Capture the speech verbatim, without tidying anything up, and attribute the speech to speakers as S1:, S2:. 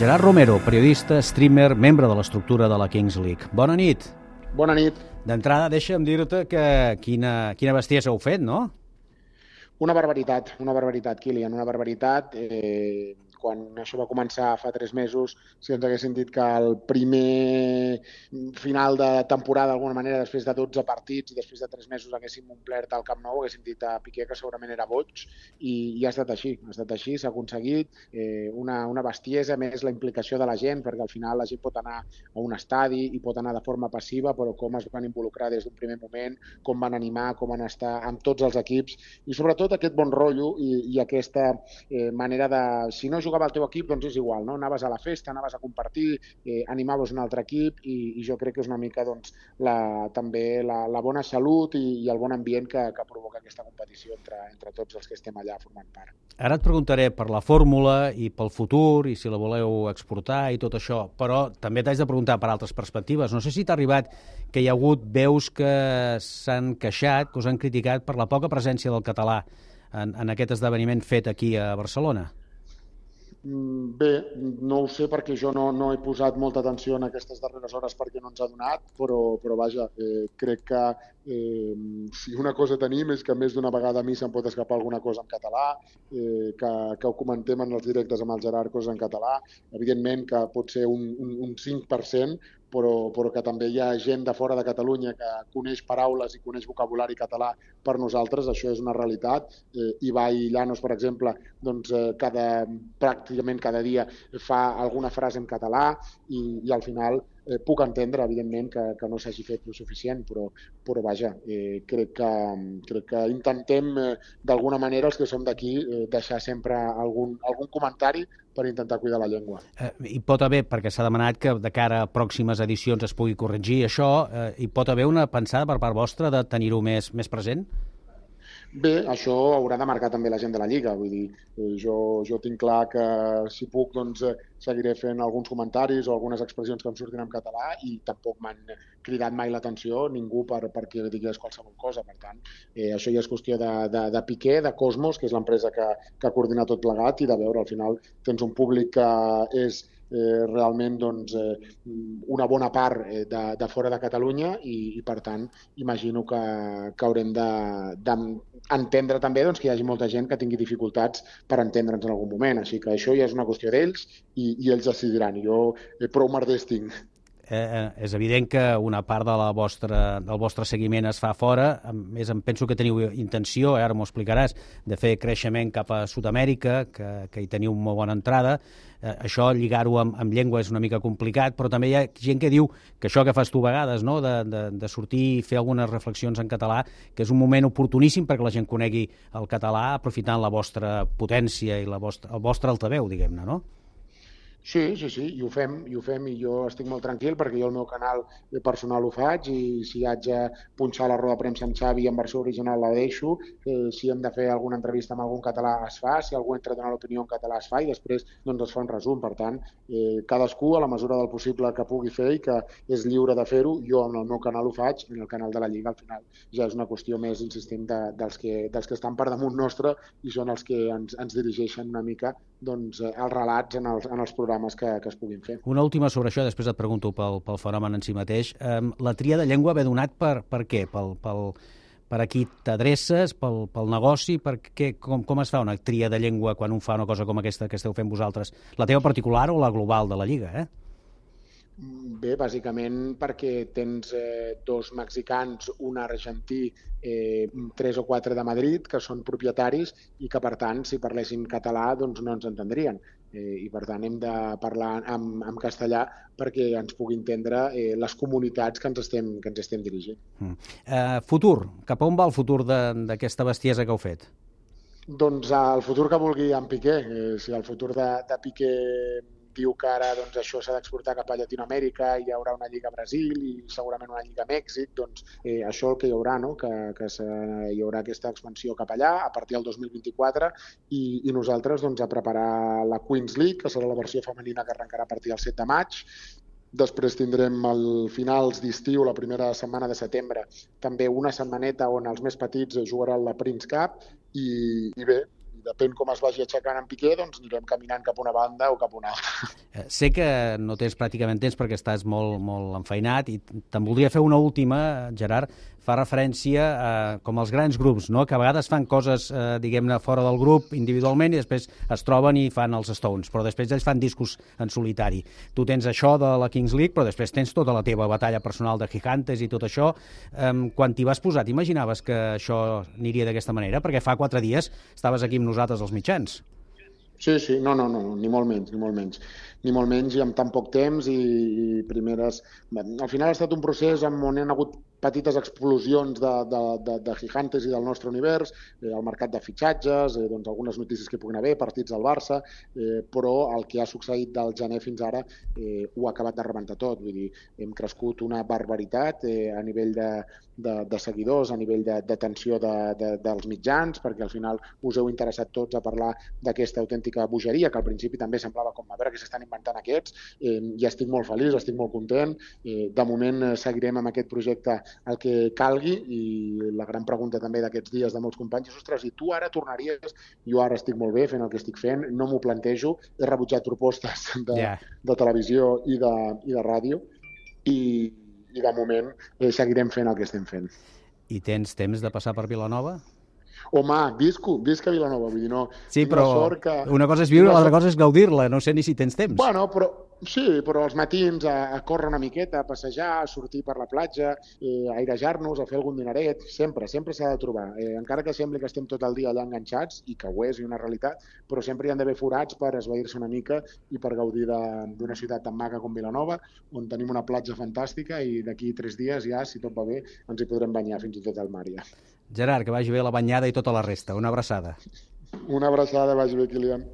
S1: Gerard Romero, periodista, streamer, membre de l'estructura de la Kings League. Bona nit.
S2: Bona nit.
S1: D'entrada, deixa'm dir-te que quina, quina bestiesa heu fet, no?
S2: Una barbaritat, una barbaritat, Kilian, una barbaritat. Eh, quan això va començar fa tres mesos, si ens haguessin dit que el primer final de temporada, d'alguna manera, després de dotze partits i després de tres mesos haguéssim omplert el Camp Nou, haguéssim dit a Piqué que segurament era boig, i, i ha estat així, ha estat així, s'ha aconseguit eh, una, una bestiesa, més la implicació de la gent, perquè al final la gent pot anar a un estadi i pot anar de forma passiva, però com es van involucrar des d'un primer moment, com van animar, com van estar amb tots els equips, i sobretot aquest bon rotllo i, i aquesta eh, manera de, si no jugava al teu equip, doncs és igual, no? Anaves a la festa, anaves a compartir, eh, animaves un altre equip i, i jo crec que és una mica doncs, la, també la, la bona salut i, i el bon ambient que, que provoca aquesta competició entre, entre tots els que estem allà formant part.
S1: Ara et preguntaré per la fórmula i pel futur i si la voleu exportar i tot això, però també t'haig de preguntar per altres perspectives. No sé si t'ha arribat que hi ha hagut veus que s'han queixat, que us han criticat per la poca presència del català en, en aquest esdeveniment fet aquí a Barcelona.
S2: Bé, no ho sé perquè jo no, no he posat molta atenció en aquestes darreres hores perquè no ens ha donat, però, però vaja, eh, crec que eh, si una cosa tenim és que més d'una vegada a mi se'm pot escapar alguna cosa en català, eh, que, que ho comentem en els directes amb el Gerard, coses en català, evidentment que pot ser un, un, un cinc per cent, però, però que també hi ha gent de fora de Catalunya que coneix paraules i coneix vocabulari català per nosaltres, això és una realitat. Eh, Ibai Llanos, per exemple, doncs, eh, cada, pràcticament cada dia fa alguna frase en català i, i al final eh, puc entendre, evidentment, que, que no s'hagi fet el suficient, però, però vaja, eh, crec, que, crec que intentem eh, d'alguna manera, els que som d'aquí, eh, deixar sempre algun, algun comentari per intentar cuidar la llengua.
S1: Eh, hi pot haver, perquè s'ha demanat que de cara a pròximes edicions es pugui corregir això, eh, hi pot haver una pensada per part vostra de tenir-ho més, més present?
S2: Bé, això haurà de marcar també la gent de la Lliga, vull dir, jo, jo tinc clar que si puc doncs seguiré fent alguns comentaris o algunes expressions que em surtin en català i tampoc m'han cridat mai l'atenció ningú per, perquè digués qualsevol cosa, per tant, eh, això ja és qüestió de, de, de Piqué, de Cosmos, que és l'empresa que, que coordina tot plegat i de veure, al final tens un públic que és Eh, realment doncs, eh, una bona part eh, de, de fora de Catalunya i, i per tant imagino que, que haurem d'entendre de, també doncs, que hi hagi molta gent que tingui dificultats per entendre'ns en algun moment, així que això ja és una qüestió d'ells i, i ells decidiran, jo eh, prou merders tinc.
S1: Eh, és evident que una part de la vostra, del vostre seguiment es fa fora, més em penso que teniu intenció, eh, ara m'ho explicaràs, de fer creixement cap a Sud-amèrica, que, que hi teniu molt bona entrada. Eh, això, lligar-ho amb, amb llengua és una mica complicat, però també hi ha gent que diu que això que fas tu a vegades, no? de, de, de sortir i fer algunes reflexions en català, que és un moment oportuníssim perquè la gent conegui el català aprofitant la vostra potència i la vostra, el vostre altaveu, diguem-ne, no?
S2: Sí, sí, sí, i ho fem, i ho fem, i jo estic molt tranquil perquè jo el meu canal personal ho faig i si haig de punxar la roda de premsa amb Xavi en versió original la deixo, eh, si hem de fer alguna entrevista amb algun català es fa, si algú entra a donar l'opinió en català es fa i després doncs, es fa un resum. Per tant, eh, cadascú a la mesura del possible que pugui fer i que és lliure de fer-ho, jo en el meu canal ho faig, en el canal de la Lliga al final ja és una qüestió més, insistim, de, dels, que, dels que estan per damunt nostre i són els que ens, ens dirigeixen una mica doncs, els relats en els, en els programes Que, que es puguin fer.
S1: Una última sobre això, després et pregunto pel, pel fenomen en si mateix. Um, la tria de llengua ve donat per, per què? Pel, pel, per a qui t'adreces, pel, pel negoci, per què, com, com es fa una tria de llengua quan un fa una cosa com aquesta que esteu fent vosaltres? La teva particular o la global de la Lliga, eh?
S2: Bé, bàsicament perquè tens eh, dos mexicans, un argentí, eh, tres o quatre de Madrid, que són propietaris i que, per tant, si parlessin català, doncs no ens entendrien. Eh, I, per tant, hem de parlar en, en castellà perquè ens pugui entendre eh, les comunitats que ens estem, que ens estem dirigint.
S1: Mm. Uh, futur. Cap a on va el futur d'aquesta bestiesa que heu fet?
S2: Doncs el futur que vulgui en Piqué. Eh, si el futur de, de Piqué diu que ara doncs, això s'ha d'exportar cap a Llatinoamèrica, hi haurà una lliga a Brasil i segurament una lliga a Mèxic, doncs eh, això el que hi haurà, no? que, que hi haurà aquesta expansió cap allà a partir del dos mil vint-i-quatre i, i nosaltres doncs, a preparar la Queens League, que serà la versió femenina que arrencarà a partir del set de maig. Després tindrem al finals d'estiu, la primera setmana de setembre, també una setmaneta on els més petits jugaran la Prince Cup i, i bé, depèn com es vagi aixecant en Piqué, doncs anirem caminant cap a una banda o cap a una altra.
S1: Eh, sé que no tens pràcticament temps perquè estàs molt, molt enfeinat i te'n voldria fer una última, Gerard, fa referència a com els grans grups, no? Que a vegades fan coses, eh, diguem-ne, fora del grup individualment i després es troben i fan els Stones, però després ells fan discos en solitari. Tu tens això de la Kings League, però després tens tota la teva batalla personal de Gigantes i tot això. Eh, quan t'hi vas posar, t'imaginaves que això aniria d'aquesta manera? Perquè fa quatre dies estaves aquí amb nosaltres als mitjans.
S2: Sí, sí, no, no, no, ni molt menys, ni molt menys. Ni molt menys i amb tan poc temps i, i primeres... Al final ha estat un procés on hi ha hagut petites explosions de, de, de, de Gigantes i del nostre univers, eh, el mercat de fitxatges, eh, doncs algunes notícies que hi puguin haver, partits del Barça, eh, però el que ha succeït del gener fins ara eh, ho ha acabat de rebentar tot. Vull dir, hem crescut una barbaritat eh, a nivell de, de, de seguidors, a nivell d'atenció de, de, de, dels mitjans, perquè al final us heu interessat tots a parlar d'aquesta autèntica bogeria, que al principi també semblava com a veure que s'estan inventant aquests, eh, i estic molt feliç, estic molt content. Eh, de moment eh, seguirem amb aquest projecte el que calgui i la gran pregunta també d'aquests dies de molts companys és, ostres, i tu ara tornaries? Jo ara estic molt bé fent el que estic fent, no m'ho plantejo, he rebutjat propostes de, yeah. de televisió i de, i de ràdio i, i de moment eh, seguirem fent el que estem fent.
S1: I tens temps de passar per Vilanova?
S2: Home, visco, visc a Vilanova, vull dir, no...
S1: Sí, però
S2: sort que...
S1: una cosa és viure, l'altra cosa és gaudir-la, no sé ni si tens temps.
S2: Bueno, però sí, però als matins a, a córrer una miqueta, a passejar, a sortir per la platja, eh, a airejar-nos, a fer algun dineret, sempre, sempre s'ha de trobar. Eh, encara que sembli que estem tot el dia allà enganxats, i que ho és, i una realitat, però sempre hi han d'haver forats per esvair-se una mica i per gaudir d'una ciutat tan maca com Vilanova, on tenim una platja fantàstica i d'aquí tres dies ja, si tot va bé, ens hi podrem banyar fins i tot al mar ja.
S1: Gerard, que vagi bé la banyada i tota la resta. Una abraçada.
S2: Una abraçada, vagi bé, Kilian.